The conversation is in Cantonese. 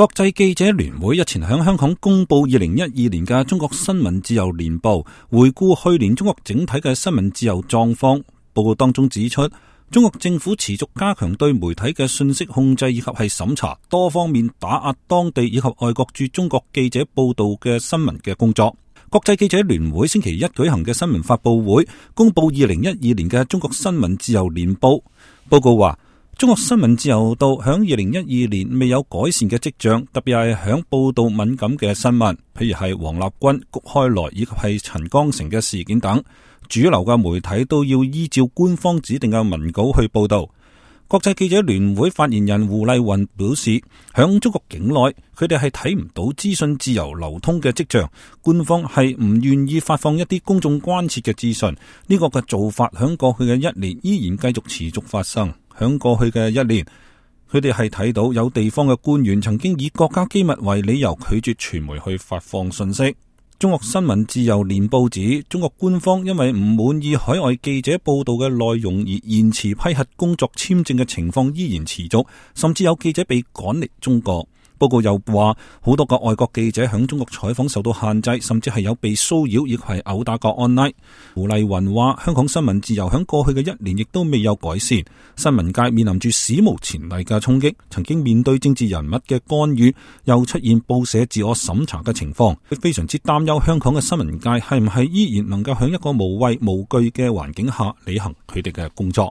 國際記者聯會日前喺香港公布2012年嘅中國新聞自由年報，回顧去年中國整體嘅新聞自由狀況。報告當中指出，中國政府持續加強對媒體嘅信息控制以及係審查，多方面打壓當地以及外國駐中國記者報道嘅新聞嘅工作。國際記者聯會星期一舉行嘅新聞發佈會，公布2012年嘅中國新聞自由年報。報告話，中國新聞自由度響2012年未有改善嘅跡象，特別係響報道敏感嘅新聞，譬如係王立軍、谷開來以及係陳光誠嘅事件等，主流嘅媒體都要依照官方指定嘅文稿去報道。國際記者聯會發言人胡麗雲表示，響中國境內，佢哋係睇唔到資訊自由流通嘅跡象，官方係唔願意發放一啲公眾關切嘅資訊。呢個嘅做法響過去嘅一年依然繼續持續發生。響過去嘅一年，佢哋係睇到有地方嘅官員曾經以國家機密為理由拒絕傳媒去發放信息。中國新聞自由年報指，中國官方因為唔滿意海外記者報道嘅內容而延遲批核工作簽證嘅情況依然持續，甚至有記者被趕離中國。報告又話，好多個外國記者響中國採訪受到限制，甚至係有被騷擾，亦係毆打個案例。胡麗雲話，香港新聞自由響過去嘅一年亦都未有改善，新聞界面臨住史無前例嘅衝擊，曾經面對政治人物嘅干預，又出現報社自我審查嘅情況。佢非常之擔憂香港嘅新聞界係唔係依然能夠響一個無畏無懼嘅環境下履行佢哋嘅工作。